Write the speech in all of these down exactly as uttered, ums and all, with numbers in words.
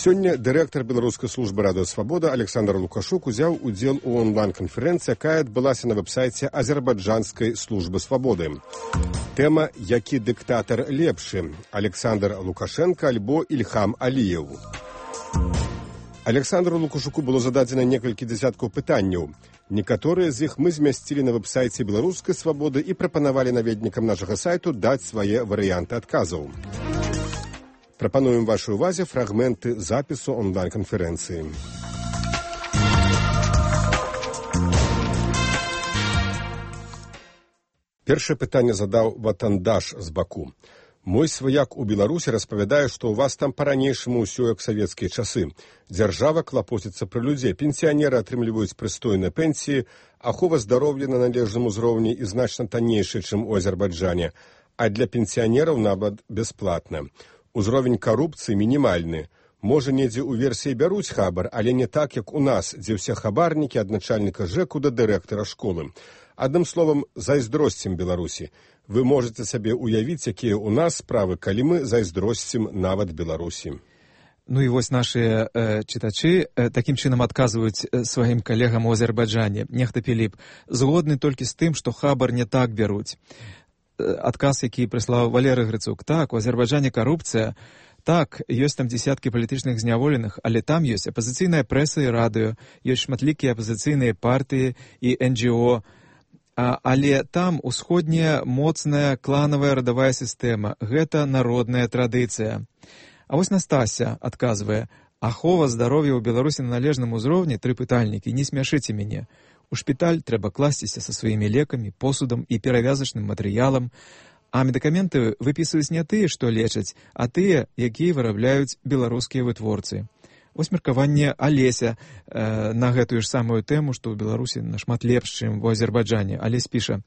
Сёння дырэктар беларускай службы радыёсвабода Александр Лукашук узяў удзел у онлайн-канферэнцыі, якая адбылася на вэб-сайце азербайджанскай службы свабоды. Тэма «Які дыктатар лепшы? Александр Лукашенко альбо Ільхам Алієв». Александру Лукашуку было зададзена некалькі дзясяткаў пытанняў. Некаторыя з іх мы змясцілі на вэб-сайце беларускай свабоды і прапанавалі наведнікам нашага сайту даць свае варыянты адказаў. Прапануем вашай увазе фрагменты запісу онлайн-канферэнцыі. Першае пытанне задаў Ватандаш з Баку. Мой сваяк у Беларусі распавядае, што ў вас там па-ранейшаму ўсё як савецкія часы. Дзяржава клапоціцца пра людзей, пенсіянеры атрымліваюць прыстойныя пенсіі, ахова здароўя на належным узроўні і значна таннейшая, чым у Азербайджане, а для пенсіянераў нават бясплатна. Узровень карупцыі мінімальны. Можа, недзе ў версіі бяруць хабар, але не так, як у нас, дзе ўсе хабарнікі ад начальніка ЖЭКу да дырэктара школы. Адным словам, зайздросцім Беларусі. Вы можете сабе уявіць, якія ў нас справы, калі мы зайздросцім нават Беларусі. Ну і вось нашы э, чытачы э, такім чынам адказваюць э, сваім калегам у Азербайджане. Нехта Піліп згодны толькі з тым, што хабар не так бяруць. Э, адказ, які прыслаў Валерый Грыцук. Так, у Азербайджане карупцыя. Так, ёсць там дзесяткі палітычных зняволеных, але там ёсць апазіцыйная прэса і радыё, ёсць шматлікія апазіцыйныя партыі і эн джі о. А, але там усходняя моцная кланавая радавая сістэма. Гэта народная традыцыя. А вось Настася адказвае: ахова здароўя ў Беларусі на належным узроўні, тры пытальнікі, не смяшыце мяне. У шпіталь трэба класціся са сваімі лекамі, посудам і перавязачным матэрыялам, а медыкаменты выпісваюць не тыя, што лечаць, а тыя, якія вырабляюць беларускія вытворцы. Вось меркаванне Алеся э, на гэтую ж самую тэму, што ў Беларусі нашмат лепш, чым у Азербайджане. Алесь піша: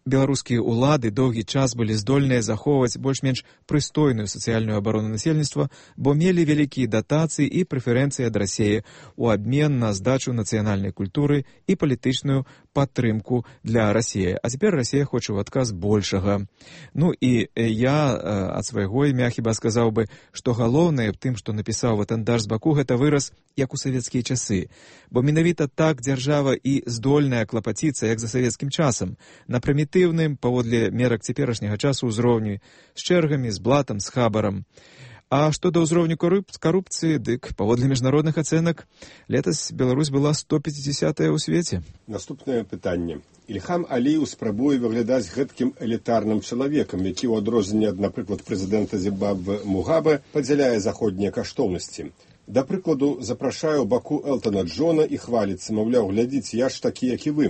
беларускія ўлады доўгі час былі здольныя захоўваць больш-менш прыстойную сацыяльную абарону насельніцтва, бо мелі вялікія датацыі і прэферэнцыі ад Расіі ў абмен на здачу нацыянальнай культуры і палітычную падтрымку для Расіі. А цяпер Расія хоча ў адказ большага. Ну і я э, ад свайго імя хіба сказаў бы, што галоўнае в тым, што напісаў Ватандаш з Баку, гэта выраз як у савецкія часы. Бо менавіта так дзяржава і здольная клапаціцца, як за савецкім часам, на прымітыўным, паводле мерак цяперашняга часу ўзроўню, з чэргамі, з блатам, з хабарам. А што да ўзроўню карупцыі, дык паводле міжнародных ацэнак, летась Беларусь была сто пяцідзясятая ў свеце. Наступнае пытанне. Ільхам Алієв спрабуе выглядаць гэткім элітарным чалавекам, які ў адрозненне ад, напрыклад, прэзідэнта Зімбабве Мугабе падзяляе заходнія каштоўнасці. Да прыкладу, запрашае ў Баку Элтона Джона і хваліцца, маўляў, глядзіце, я ж такі, як і вы.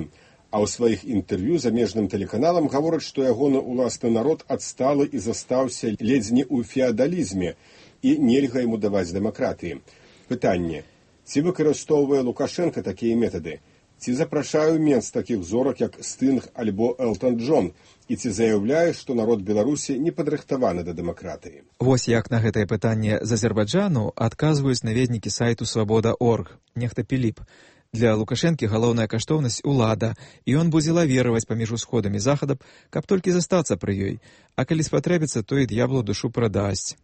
А ў сваіх інтэрв'ю замежным тэлеканалам гавораць, што ягоны ўласны народ адсталы і застаўся ледзь не ў феадалізме і нельга яму даваць дэмакратыі. Пытанне. Ці выкарыстоўвае Лукашенко такія метады? Ці запрашае менш такіх зорак, як Стынг альбо Элтон Джон? І ці заяўляе, што народ Беларусі не падрыхтаваны да дэмакратыі? Вось як на гэтае пытанне з Азербайджану адказваюць наведнікі сайту свабода точка орг. Нехта Піліп. Для Лукашэнкі галоўная каштоўнасць улада, і ён будзе лавіраваць паміж усходам і захадам, каб толькі застацца пры ёй. А калі спатрэбіцца, то і д'яблу душу прадасць.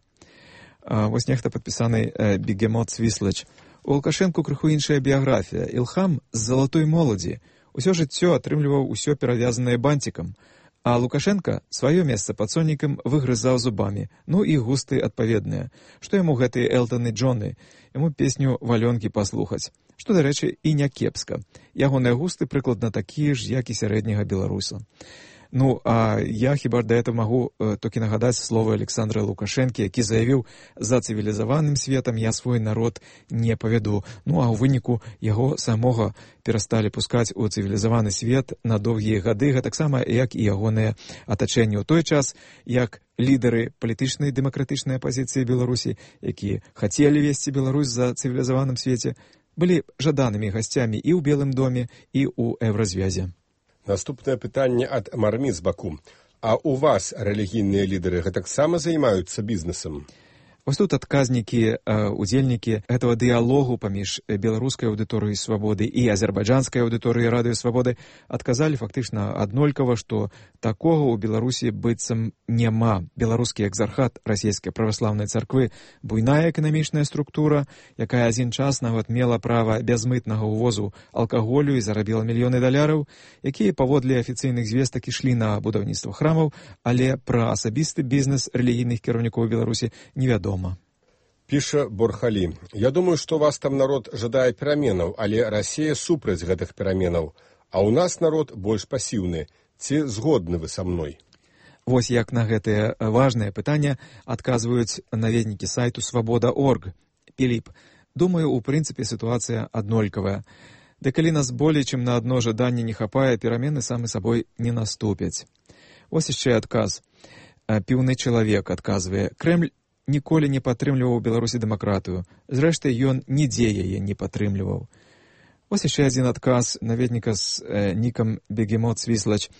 А, вось нехта падпісаны э, Бегемот Свіслач. У Лукашэнку крыху іншая біяграфія. Ілхам з залатой моладзі. Усё жыццё атрымліваў усё перавязанае бантикам. А Лукашенко сваё месца пад сонікам выгрызаў зубамі. Ну і густы адпаведныя. Што яму гэтыя Элтоны Джоны? Яму песню «Валёнкі» паслухаць. Што, дарэчы, і не кепска. Ягоныя густы прыкладна такія ж, як і сярэдняга беларуса. Ну, а я хіба да этого магу э, толькі нагадаць словы Александра Лукашэнкі, які заявіў: за цывілізаваным светам я свой народ не павяду. Ну, а ў выніку яго самога перасталі пускаць у цывілізаваны свет на доўгія гады, гэтаксама як і ягоныя атачэнні ў той час, як лідары палітычнай дэмакратычнай апазіцыі Беларусі, якія хацелі весці Беларусь за цывілізаваным свеце, былі жаданымі гасцямі і ў Белым доме, і ў Еўразвязе. Наступнае пытанне ад Мармі з Баку. А у вас рэлігійныя лідары гэтаксама займаюцца бізнесам? Вось тут адказнікі, удзельнікі гэтага дыялогу паміж беларускай аўдыторыяй свабоды і азербайджанскай аўдыторыяй радыё свабоды адказалі фактычна аднолькава, што такога ў Беларусі быццам няма. Беларускі экзархат расійскай праваслаўнай царквы буйная эканамічная структура, якая адзін час нават мела права бязмытнага ўвозу алкаголю і зарабіла мільёны даляраў, якія паводле афіцыйных звестак ішлі на будаўніцтва храмаў, але пра асабісты бізнес рэлігійных кіраўнікоў Беларусі невядома. Піша Борхалі. Я думаю, што вас там народ жадае пераменаў, але Расія супраць гэтых пераменаў, а ў нас народ больш пасіўны. Ці згодны вы са мной? Вось як на гэтае важнае пытанне адказваюць наведнікі сайту свабода точка орг. Піліп, думаю, у прынцыпе сітуацыя аднолькавая. Ды калі нас болей, чым на адно жаданне не хапае, перамены самы сабой не наступяць. Вось яшчэ адказ. Піўны чалавек адказвае. Крэмль ніколі не падтрымліваў у Беларусі дэмакратыю. Зрэшты, ён нідзе яе не падтрымліваў. Вось яшчэ адзін адказ наведніка з э, нікам Бегемот Свіслач.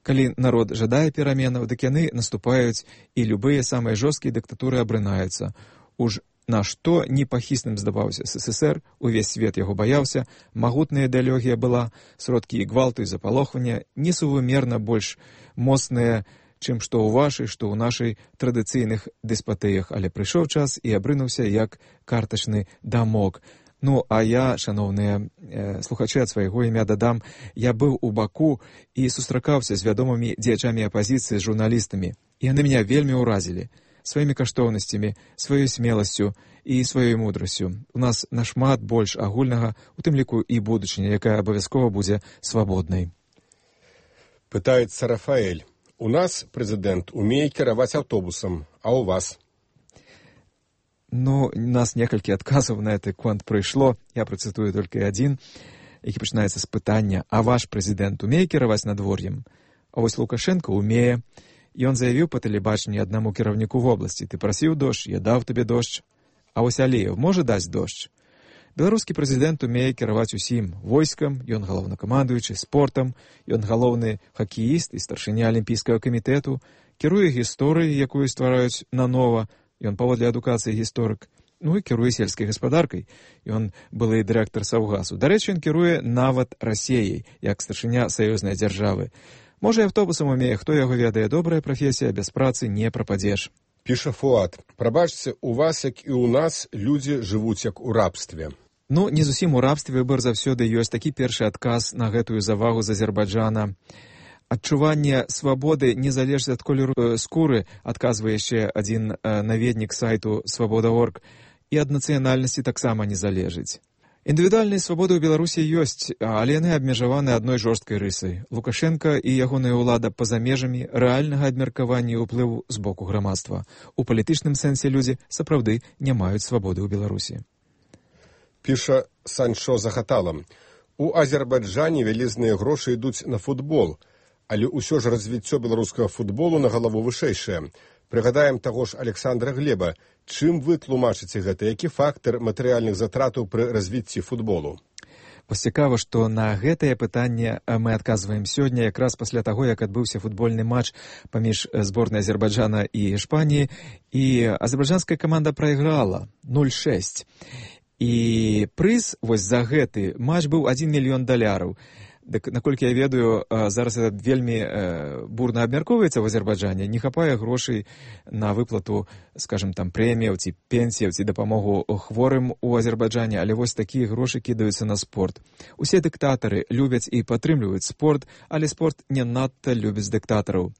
Калі народ жадае пераменаў, дык яны наступаюць, і любыя самыя жорсткія дыктатуры абрынаюцца. Уж на што непахісным здаваўся СССР, увесь свет яго баяўся, магутная ідэалогія была, сродкі і гвалту і запалохвання несувымерна больш моцныя, чым што ў вашай, што ў нашай традыцыйных дэспатыях, але прыйшоў час і абрынуўся як картачны дамок. Ну, а я, шаноўныя э, слухачы, ад свайго імя дадам, я быў у Баку і сустракаўся з вядомымі дзеячамі апазіцыі, з журналістамі. І яны мяне вельмі ўразілі сваімі каштоўнасцямі, сваёй смеласцю і сваёй мудрасцю. У нас нашмат больш агульнага, у тым ліку і будучыня, якая абавязкова будзе свабоднай. Пытаецца Рафаэль. У нас прэзідэнт умее кіраваць аўтобусам, а ў вас? Ну, у нас некалькі адказаў на гэты конт прыйшло. Я працытую толькі адзін, які пачынаецца з пытання: а ваш прэзідэнт умее кіраваць надвор'ем? А вось Лукашенко умее. Ён заявіў па тэлебачанні аднаму кіраўніку вобласці: ты прасіў дождж, я даў табе дождж. А вось Аліеў можа даць дождж? Беларускі прэзідэнт умее кіраваць усім: войскам, ён галоўнакамандуючы, спортам, ён галоўны хакеіст і старшыня алімпійскага камітэту, кіруе гісторыяй, якую ствараюць нанова, ён паводле адукацыі гісторык, ну і кіруе сельскай гаспадаркай, ён былы дырэктар Саўгасу. Дарэчы, ён кіруе нават Расіяй, як старшыня саюзнай дзяржавы. Можа, і аўтобусам умее, хто яго ведае, добрая прафесія, без працы не прападзеш. Піша Фуат. Прабачце, у вас, як і ў нас, людзі жывуць як у рабстве. Ну, не зусім у рабстве, выбар заўсёды ёсць. Такі першы адказ на гэтую завагу з Азербайджана. Адчуванне свабоды не залежыць ад колеру скуры, адказвае яшчэ адзін наведнік сайту свабода точка орг, і ад нацыянальнасці таксама не залежыць. Індывідуальныя свабоды ў Беларусі ёсць, але яны абмежаваны адной жорсткай рысай. Лукашенка і ягоная ўлада па-за межамі рэальнага абмеркавання і ўплыву з боку грамадства. У палітычным сэнсе людзі сапраўды не маюць свабоды ў Беларусі. Піша Санчо Захатала. У Азербайджане вялізныя грошы ідуць на футбол, але ўсё ж развіццё беларускага футболу на галаву вышэйшае. Прыгадаем таго ж Александра Глеба. Чым вы тлумачыце гэта? Які фактар матэрыяльных затратаў пры развіцці футболу? Вось цікава, што на гэтае пытанне мы адказваем сёння, якраз пасля таго, як адбыўся футбольны матч паміж зборнай Азербайджана і Іспаніі, і азербайджанская каманда прайграла нуль шэсць. І прыз вось за гэты матч быў адзін мільён даляраў. Дык, наколькі я ведаю, зараз это вельмі бурна абмяркоўваецца в Азербайджане, не хапае грошай на выплату, скажем, там прэміяў ці пенсіяў ці дапамогу хворым у Азербайджане, але вось такія грошы кідаюцца на спорт. Усе дыктатары любяць і падтрымліваюць спорт, але спорт не надта любіць дыктатараў.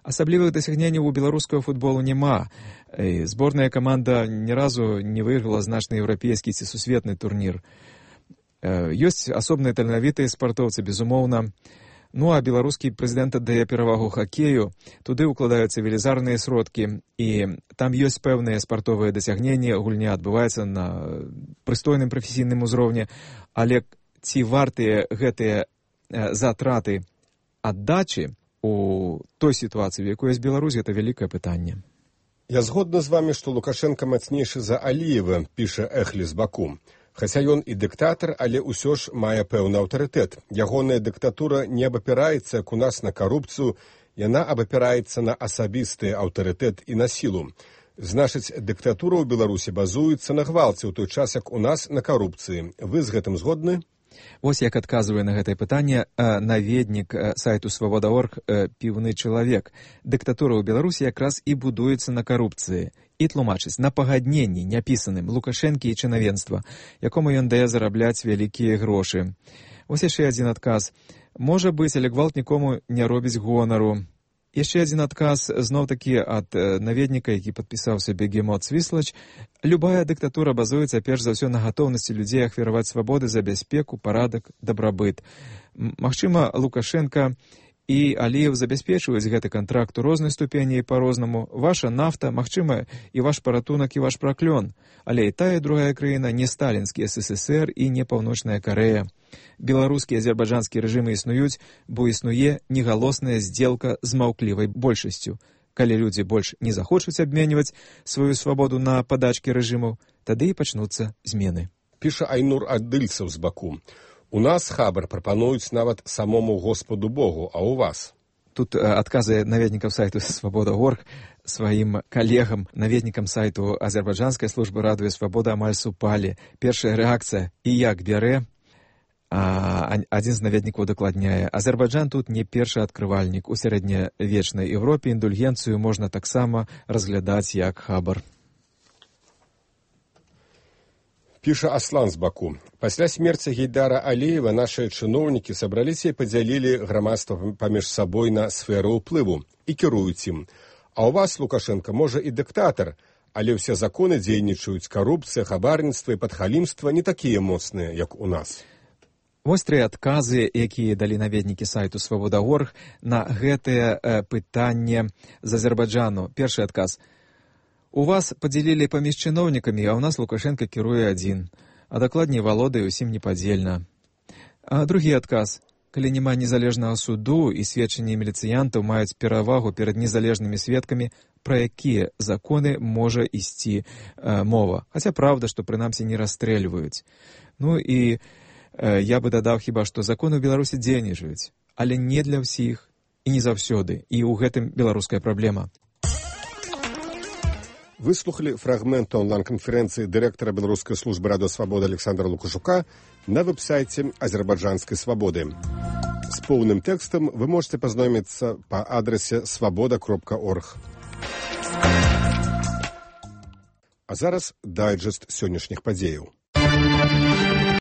Асаблівых дасягненняў у беларускага футболу няма. Зборная каманда ні разу не выйграла значны еўрапейскі ці сусветны турнір. Ёсць асобныя таленавітыя спартоўцы, безумоўна. Ну, а беларускі прэзідэнт аддае перавагу хакею. Туды ўкладаюцца велізарныя сродкі, і там ёсць пэўныя спартовыя дасягненні, гульня адбываецца на прыстойным прафесійным узроўні, але ці вартыя гэтыя затраты аддачы у той сітуацыі, в якой ёсць Беларусь, гэта вялікае пытанне. Я згодна з вамі, што Лукашенка мацнейшы за Аліева, піша Эхлі з Баку. Хаця ён і дыктатар, але ўсё ж мае пэўны аўтарытэт. Ягоная дыктатура не абапіраецца, як у нас, на карупцыю, яна абапіраецца на асабісты аўтарытэт і на сілу. Значыць, дыктатура ў Беларусі базуецца на гвалце, ў той час, як у нас на карупцыі. Вы з гэтым згодны? Вось як адказвае на гэтае пытанне наведнік сайту свабода точка орг «Піўны чалавек». Дыктатура ў Беларусі якраз і будуецца на карупцыі. І тлумачыць, на пагадненні няпісаным Лукашэнкі і чынавенства, якому ён дае зарабляць вялікія грошы. Вось яшчэ адзін адказ. Можа быць, але гвалт нікому не робіць гонару. Яшчэ адзін адказ, зноў-такі ад наведніка, які падпісаўся Бегемот Свіслач. Любая дыктатура базуецца перш за ўсё на гатоўнасці людзей ахвяраваць свабоды за бяспеку, парадак, дабрабыт. Магчыма, Лукашенка і Аліеў забяспечваюць гэты кантракт у рознай ступені і па-рознаму. Ваша нафта, магчыма, і ваш паратунак, і ваш праклён. Але і тая, і другая краіна не сталінскі эс эс эс эр і не Паўночная Карэя. Беларускі і азербайджанскі рэжымы існуюць, бо існуе негалосная здзелка з маўклівай большасцю. Калі людзі больш не захочуць абменьваць сваю свабоду на падачкі рэжымаў, тады і пачнуцца змены. Піша Айнур Адыльцаў з Баку. У нас хабар прапануюць нават самому Господу Богу, а у вас? Тут адказы наведнікаў сайту свабода точка орг сваім калегам, наведнікам сайту азербайджанскай службы радыё Свабода амаль супалі. Першая рэакцыя і як бярэ. А адзін з наведнікаў дакладняе, Азербайджан тут не першы адкрывальнік. У сярэднявечнай Еўропе індульгенцыю можна таксама разглядаць як хабар. Піша Аслан з Баку. Пасля смерці Гейдара Аліева нашыя чыноўнікі сабраліся і падзялілі грамадства паміж сабой на сферы ўплыву і кіруюць ім. А ў вас, Лукашенко, можа і дыктатар, але ўсе законы дзейнічаюць, карупцыя, хабарніцтва і падхалімства не такія моцныя, як у нас. Вось тры адказы, якія далі наведнікі сайту свабода точка орг на гэтае пытанне з Азербайджану. Першы адказ. У вас падзялілі паміж чыноўнікамі, а ў нас Лукашенко кіруе адзін, а дакладней валодае ўсім непадзельна. А другі адказ. Калі няма незалежнага суду і сведчанні міліцыянтаў маюць перавагу перад незалежнымі сведкамі, пра якія законы можа ісці э, мова. Хаця праўда, што прынамсі не расстрэльваюць. Ну і э, я бы дадаў хіба, што законы ў Беларусі дзейнічаюць, але не для ўсіх і не заўсёды. І ў гэтым беларуская праблема. Выслухалі фрагмент онлайн-канферэнцыі дырэктара беларускай службы радыё Свабода Александра Лукашука на вэб-сайце азербайджанскай свабоды. З поўным тэкстам вы можете пазнаёміцца па адрасе свабода кропка орг. А зараз дайджэст сённяшніх падзеяў.